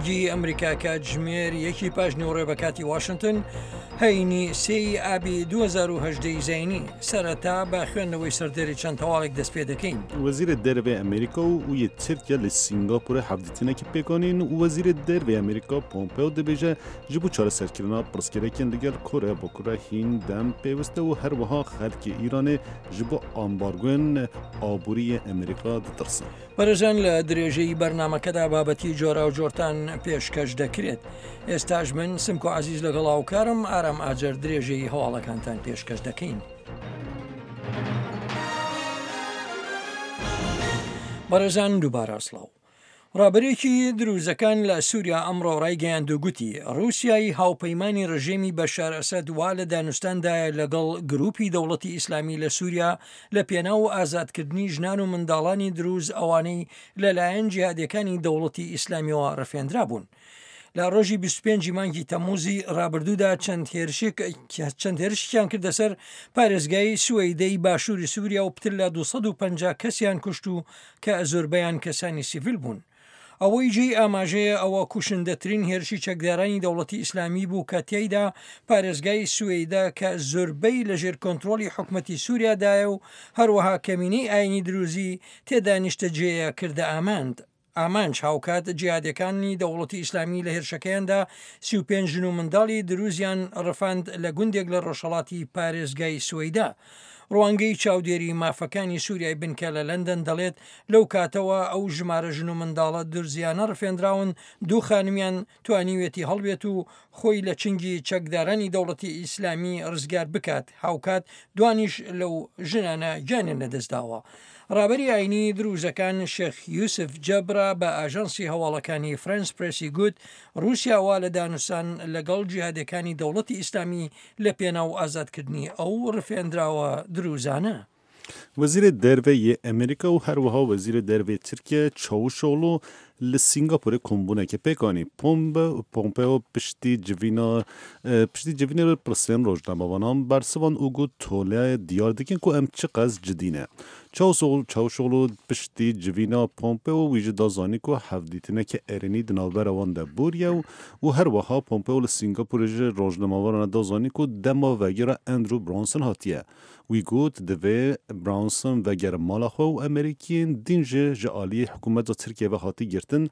دەنگی ئەمریکا کاتژمێر یەکی پاش نیوەڕۆ بە کاتی واشنتن هەینی سێی ئابی 2010 زینی سەرەتا بە خوێندنەوەی سەردێری چەند هەواڵێک دەست پێ دەکەین. وەزیرê Derve Amerîka û yê Tirkiye li Sîngapûrê hevdîtinekê pêk anîn û Wezîrê Derve Amerîka Pompeo dibêje ji bo çareserkirina pirsgirêkên li gel Koreya Bakur re hîn dem pêwist e û her wiha xelkê Îranê ji bo ambargoyên aborî yê Amerîka ditirsin. بەڕێزان لە درێژەی بەرنامەکەدا بابەتی جۆراوجۆرتان پێشکەش دەکرێت. ئێستاش من سمکۆ عەزیز لەگەڵ هاوکارم ئارام ئاجەر درێژەی هەواڵەکانتان پێشکەش دەکەین. بەڕێزان دووبارە سڵاو. ڕابەرێکی دروزەکان لە سووریا ئەمڕۆ ڕایگەیاند و گوتی ڕووسیای هاوپەیمانی ڕژێمی بەشار ئەسەد وا لە دانوستاندایە لەگەڵ گروپی دەوڵەتی ئیسلامی لە سووریا لە پێناو ئازادکردنی ژنان و منداڵانی دروز ئەوانەی لەلایەن جیهادیەکانی دەوڵەتی ئیسلامیەوە ڕفێندرابوون. لە ڕۆژی 25 مانگی تەمموزی ڕابردوودا چەند هێرشێک چەند هێرشیان کردە سەر پارێزگای سوەیدەی باشووری سووریا و پتر لە 250 کەسیان کوشت و کە زۆربەیان کەسانی سیڤیل بوون. ئەوەی جێی ئاماژەیە ئەوە کوشندەترین هێرشی چەکدارانی دەوڵەتی ئیسلامی بوو کە تیایدا پارێزگای سوەیدا کە زۆربەی لەژێر کۆنترۆڵی حکومەتی سوریادایە و هەروەها کەمینەی ئاینی دروزی تێدا نیشتەجێیە کردە ئاماند ئامانج هاوکات جیهادیەکانی دەوڵەتی ئیسلامی لە هێرشەکەیاندا 35 ژن و منداڵی دروزیان ڕفاند لە گوندێک لە ڕۆژهەڵاتی پارێزگای سوەیدا. ڕوانگەی چاودێری مافەکانی سوریای بنکە لە لەندەن دەڵێت، لەو کاتەوە ئەو ژمارە ژن و منداڵە دورزیانە ڕفێندراون، دوو خانمیان توانیویەتی هەڵبێت و خۆی لە چنگی چەکدارانی دەوڵەتی ئیسلامی ڕزگار بکات، هاوکات دوانیش لەو ژنانە گیانیان لەدەستداوە. ڕابەری ئاینی دروزەکان شێخ یوسف جەبرا بە ئاژانسی هەواڵەکانی فرەنس پرێسی گوت، ڕوسیا وا لە دانوستان لەگەڵ جیهادیەکانی دەوڵەتی ئیسلامی لە پێناو ئازادکردنی ئەو ڕفێندراوە دروزانە. وەزیرê Derve yê Amerîka û herwiha Wezîrê Derve yê Tirkiye Çavuşoglu li Sîngapûrê kombûnekê pêk anî. Pompeo piştî civîna piştî civînê li pirsên rojnamevanan bersivan û got toleyê diyar dikin ku em çiqas cidî ne. Çavuşoglu piştî civîna Pompeo wî jî da zanîn ku hevdîtineke erênî di navbera wan de bûriye û û herwiha Pompeo li Sîngapûrê ji rojnamevanan re da zanîn ku dema vegera Andrew Brunson hatiye. Wî got divê Brunson vegere mala xwe û Amerîkiyên din jî ji aliyê hikûmeta Tirkiyê ve hatî girtin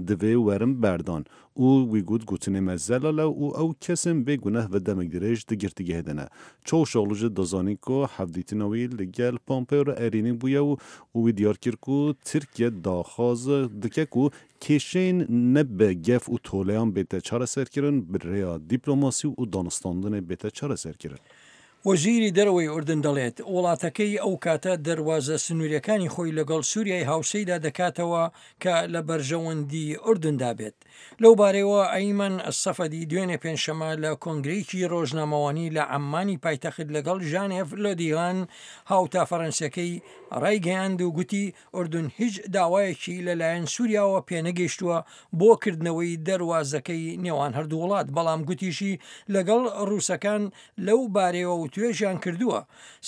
divê werin berdan û wî got gotinê me zelal e û ew kesên bê guneh ve demek dirêj di girtîgehê de ne. Çavuşoglu jî da zanîn ku hevdîtina wî li gel Pompeo re erênî bûye û û wî diyar kir ku Tirkiye daxwaz dike ku kêşeyên ne bi gef û toleyan bête çareserkirin bi rêya dîplomasî û danûstandinê bête çareserkirin. وەزیری دەرەوەی ئوردن دەڵێت، وڵاتەکەی ئەو کاتە دەروازە سنوورییەکانی خۆی لەگەڵ سووریای هاوسێیدا دەکاتەوە کە لە بەرژەوەندی ئوردندا بێت. لەو بارەیەوە ئەیمەن سەفەدی دوێنێ پێنجشەممە لە کۆنگرەیەکی رۆژنامەوانی لە عەممانی پایتەخت لەگەڵ ژان ئێف لۆدیغان هاوتا فەرەنسیەکەی رایگەیاند و گوتی ئوردن هیچ داوایەکی لەلایەن سووریاوە پێنەگەیشتووە بۆ کردنەوەی دەروازەکەی نێوان هەردوو وڵات، بەڵام گوتیشی لەگەڵ رووسەکان لەو بارەیەوە وتوێژیان کردووە.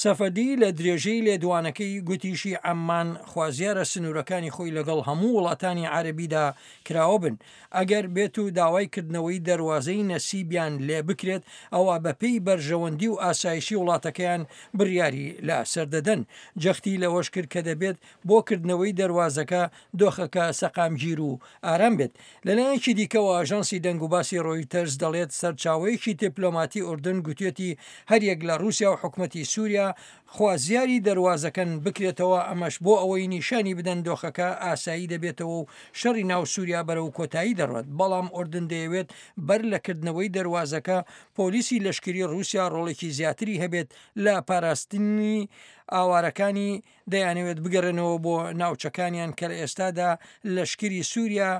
سەفەدی لە درێژەی لێدوانەکەی گوتیشی عەممان خوازیارە سنوورەکانی خۆی لەگەڵ هەموو وڵاتانی عەرەبیدا کراوە بن، ئەگەر بێتو داوای کردنەوەی دەروازەی نەسیبیان لێ بکرێت ئەوا بەپێی بەرژەوەندی و ئاسایشی وڵاتەکەیان بڕیاری لە سەر دەدەن. جەختی لەوەش کرد کە دەبێت بۆ کردنەوەی دەروازەکە دۆخەکە سەقامگیر و ئارام بێت. لەلایەکی دیکەوە ئاژانسی دەنگوباسی ڕۆیتەرز دەڵێت سەرچاوەیەکی دیپلۆماتی ئوردن گوتویەتی هەریەک لە ڕووسیا و حکومەتی سووریا خوازیاری دەروازەکەن بکرێتەوە ئەمەش بۆ ئەوەی نیشانی بدەن دۆخەکە ئاسایی دەبێتەوە و شەڕی ناو سووریا بەرەو کۆتایی دەڕوات بەڵام ئوردن دەیەوێت بەر لە کردنەوەی دەروازەکە پۆلیسی لەشکری ڕووسیا ڕۆڵێکی زیاتری هەبێت لە پاراستنی ئاوارەکانی دەیانەوێت بگەڕێنەوە بۆ ناوچەکانیان کە لە ئێستادا لەشکری سووریا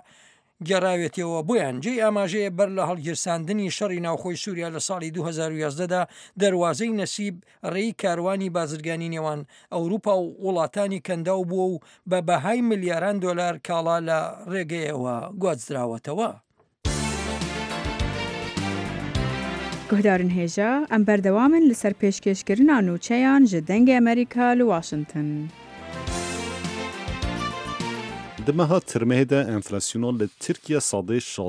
گێڕاوێتیەوە بۆیان. جێی ئاماژەیە بەر لە هەڵگیرساندنی شەڕی ناوخۆی سووریا لە ساڵی 2011 دا دەروازەی نەسیب ڕێی کاروانی بازرگانی نێوان ئەوروپا و وڵاتانی کەنداو بووە و بە بەهای ملیاران دۆلار کاڵا لە ڕێگەیەوە گوازراوەتەوە. Guhdarên hêja, em berdewam in li ser pêşkêşkirina nûçeyan ji Dengê Amerîka li Washington. Di meha tirmehê de enflasyona li Tirkiye sadê 16.